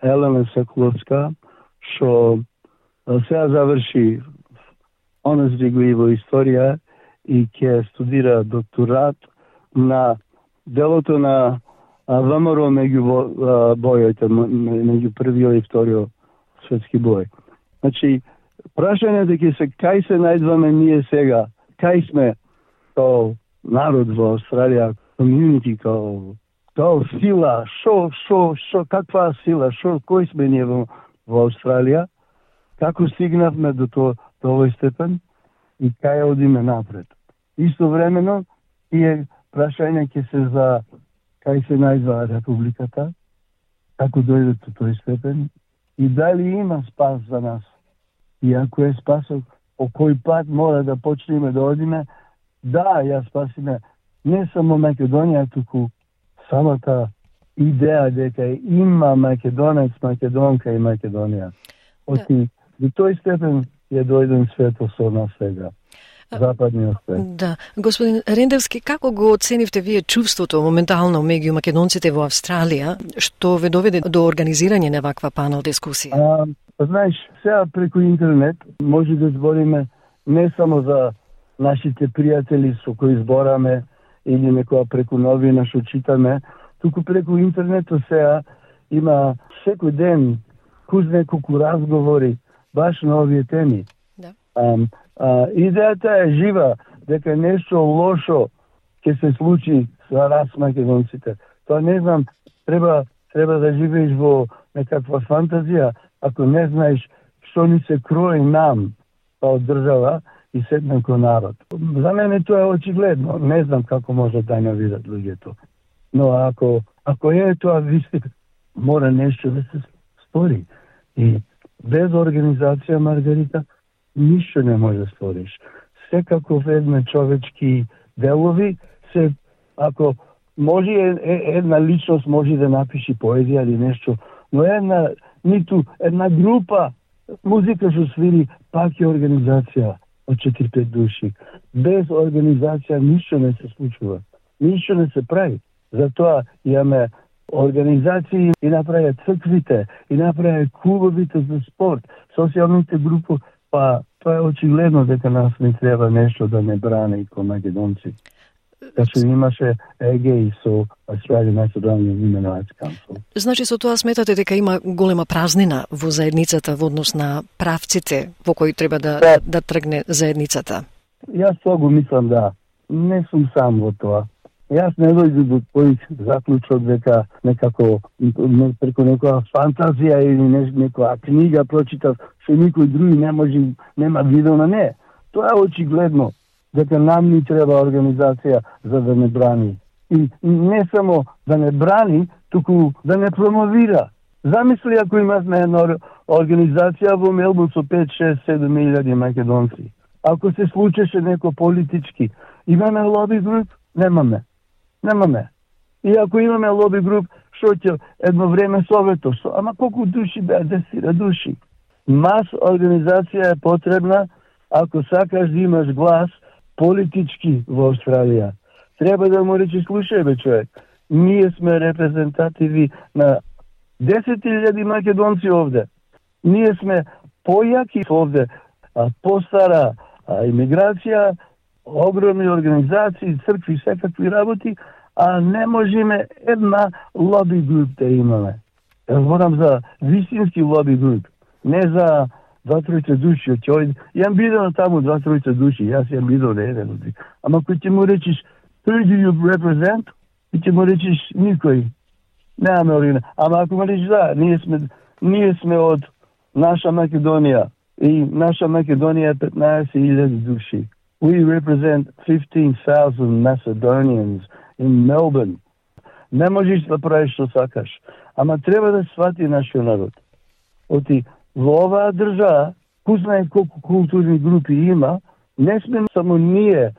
Елена Соколовска, што сега заврши honors degree во историја и ќе студира докторат на делото на ВМРО меѓу бојите, меѓу првиот и вториот светски бој. Значи, прашањето ќе се кај се најдваме ние сега, кај сме као народ во Австралија, community, као сила, шо, каква сила, кој сме ние во Австралија, како стигнавме до овој степен и кај одиме напред. Истовремено, тие прашања ќе се за кај се најдва републиката, како дојде до тој степен и дали има спас за нас. И ако е спасот, по кој пат мора да почнеме да одиме, да, ја спасиме не само Македонија, туку самата идеја дека има македонец, македонка и Македонија. Оти до тој степен е дојден светот со нас сега. Западниот свет. Да. Господин Рендевски, како го оценивте вие чувството моментално меѓу македонците во Австралија, што ве доведе до организирање на ваква панел дискусија? Знаеш, сега преку интернет може да збориме не само за нашите пријатели со кои збораме или некоја преку новина што читаме, туку преку интернетот сега има секој ден неколку разговори баш на овие теми. Да. Идејата е жива, дека нешто лошо ќе се случи за нас македонците. Тоа не знам, треба да живееш во некаква фантазија, ако не знаеш што ни се крои нам од држава и седна ко народ. За мене тоа е очигледно. Не знам како може да не видат луѓето. Но ако е тоа вистина, мора нешто да се стори. И без организација, Маргарита, ништо не може да сториш. Секако ведме човечки делови, ако може една личност може да напиши поезија или нешто, но една група музика што свири, пак е организација од 4-5 души. Без организација ништо не се случува. Ништо не се прави. Затоа имаме организации и направи црквите, и направи клубовите за спорт, социјалните групи, па тоа е очигледно дека нас не треба нешто да не брани ко македонци. Така имаше ЕГИ со Australian Macedonian Human Rights Council. Значи со тоа сметате дека има голема празнина во заедницата во однос на правците во кои треба да тргне заедницата? Јас тоа го мислам, да. Не сум сам во тоа. Јас не дојдам до тој заклучок дека некако преку некоја фантазија или некоја книга прочитав што никој други нема видел на не. Тоа е очигледно дека нам ни треба организација за да не брани. И не само да не брани, туку да не промовира. Замисли ако имаме една организација во Мелбурн со 5, 6, 7 илјади македонци. Ако се случеше неко политички, имаме лоби груп? Немаме. И ако имаме лоби груп, што ќе едно време Совето, ама колку души беа, 10 души. Мас организација е потребна ако сакаш да имаш глас политички во Австралија. Треба да му речеш, слушај бе човек, ние сме репрезентативи на 10.000 македонци овде. Ние сме појаки овде, постара имиграција, огромни организации, цркви, секакви работи, а не можеме една лоби груп да имаме. Јас зборам за вистински лоби груп, не за 2-3 души. Јам бидел таму 2-3 души, јас јам бидел на еден души. Ама кој ќе му речиш, who do you represent? И ќе му речиш, никој. Немаме оригина. Ама ако му речиш, да, ние сме од наша Македонија. И наша Македонија е 15.000 души. We represent 15,000 Macedonians in Melbourne. Не можеш да правиш што сакаш, ама треба да свати нашиот народ. Оти во оваа држава, кузнај колку културни групи има, не сме само ние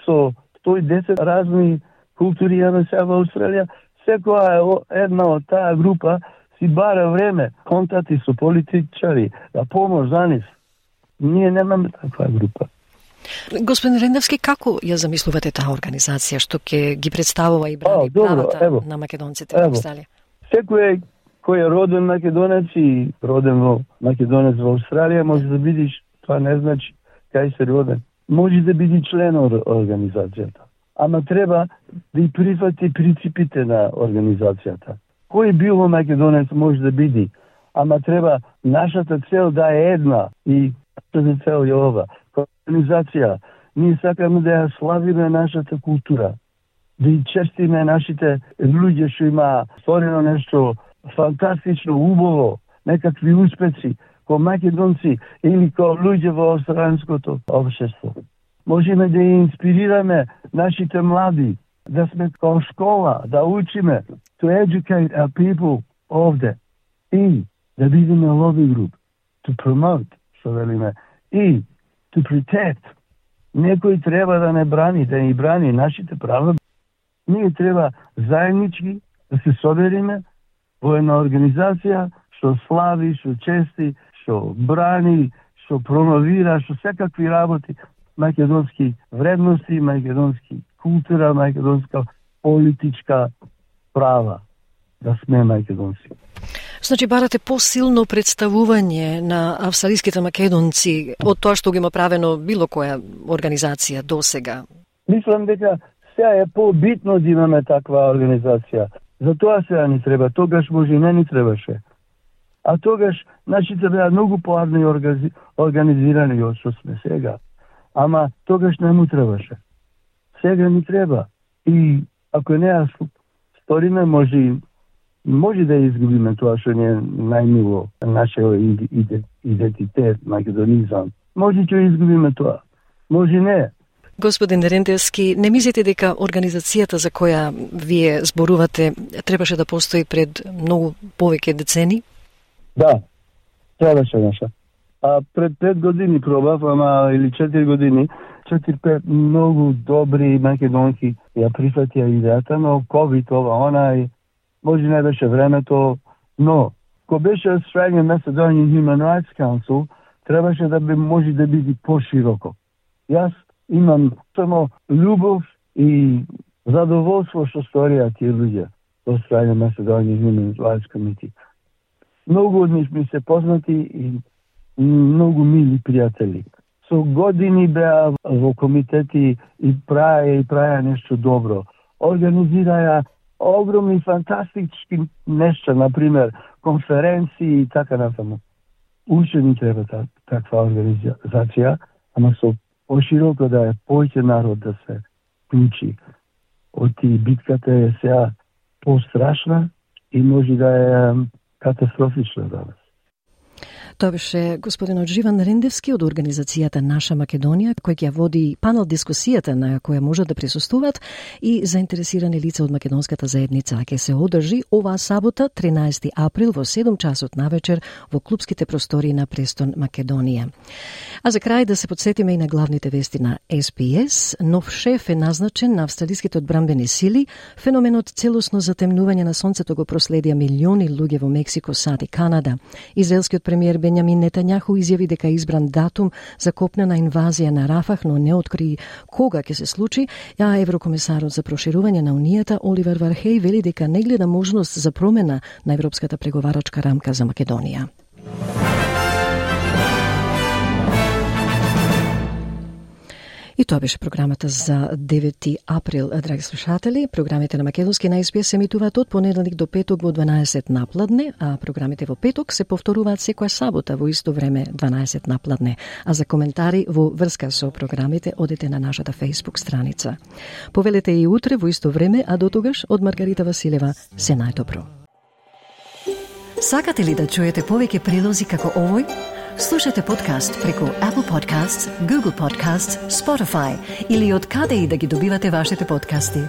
со 110 разни култури имаме сега во Австралија, секоја една од таа група си бара време, контакти со политичари, да помош за нив. Ние немаме таква група. Господин Рендевски, како ја замислувате таа организација што ќе ги представува и брани правата на македонците во Австралија? Секој кој е роден македонец и роден во македонец во Австралија може да бидиш, тоа не значи кај се роден. Може да биде член од организацијата. Ама треба да и прифати принципите на организацијата. Кој било македонец може да биде, ама треба нашата цел да е една и нашата цел е ова. Организација, ние сакаме да ја славиме нашата култура, да и честиме нашите луѓе што има сторено нешто фантастично, убаво, некакви успеци, ко македонци или ко луѓе во австралиското општество. Можеме да ја инспирираме нашите млади, да сме као школа, да учиме, to educate our people овде и да бидеме lobby group, to promote, што велиме, и to protect. Некој треба да не брани, да ни брани нашите права. Ние треба заеднички да се собериме во една организација што слави, што чести, што брани, што промовира, што секакви работи македонски вредности, македонски култура, македонска политичка права, да сме македонци. Значи, барате посилно представување на австралиските македонци од тоа што ги има правено било која организација до сега? Мислам дека сега е побитно да имаме таква организација. За тоа сега ни треба, тогаш може не ни требаше. А тогаш нашите беа многу поарни организирани од што сме сега. Ама тогаш не му требаше. Сега ни треба. И ако не ја сториме, може да изгубиме тоа што не е најмило, нашиот идентитет, македонизам. Може ќе изгубиме тоа. Може не. Господин Рендевски, не мислите дека организацијата за која вие зборувате требаше да постои пред многу повеќе децени? Да, требаше наша. А пред 5 години пробав, или 4 години, 4-5 многу добри македонки ја прифатија идејата, но COVID, она и може не беше времето, но ко беше Australian Macedonian Human Rights Council, требаше да може да биде пошироко. Јас имам само љубов и задоволство што сторија тие луѓе во Australian Macedonian Human Rights Committee. Многу од нив ми се познати и многу мили пријатели. Со години беа во комитети и праја нешто добро. Организираја огромни фантастички нешта, например, конференции и така натаму. Уште ни треба таква организација, ама со пошироко да е повеќе народ да се вклучи. Оти битката е сега пострашна и може да е катастрофична за нас. Тоа беше господинот Живан Рендевски од организацијата Наша Македонија, кој ќе води панел дискусијата на која можат да присуствуваат и заинтересирани лица од македонската заедница. Ќе се одржи оваа сабота, 13 април во 7 часот навечер во клубските простории на Престон, Македонија. А за крај да се подсетиме и на главните вести на SPS. Нов шеф е назначен на австралиските одбранбени сили. Феноменот целосно затемнување на сонцето го проследија милиони луѓе во Мексико, САД и Канада. Израелскиот премиер Бенјамин Нетањаху изјави дека избран датум за копнена инвазија на Рафах, но не откри кога ќе се случи, а еврокомесарот за проширување на Унијата Оливер Вархеј вели дека не гледа можност за промена на европската преговарачка рамка за Македонија. И тоа беше програмата за 9 април, драги слушатели. Програмите на македонски на SBS се емитуваат од понеделник до петок во 12 напладне, а програмите во петок се повторуваат секоја сабота во исто време 12 напладне. А за коментари во врска со програмите одете на нашата Facebook страница. Повелете и утре во исто време, а до тогаш од Маргарита Василева се најдобро. Сакате ли да чуете повеќе прилози како овој? Слушате подкаст преку Apple Podcasts, Google Podcasts, Spotify или од каде и да ги добивате вашите подкасти.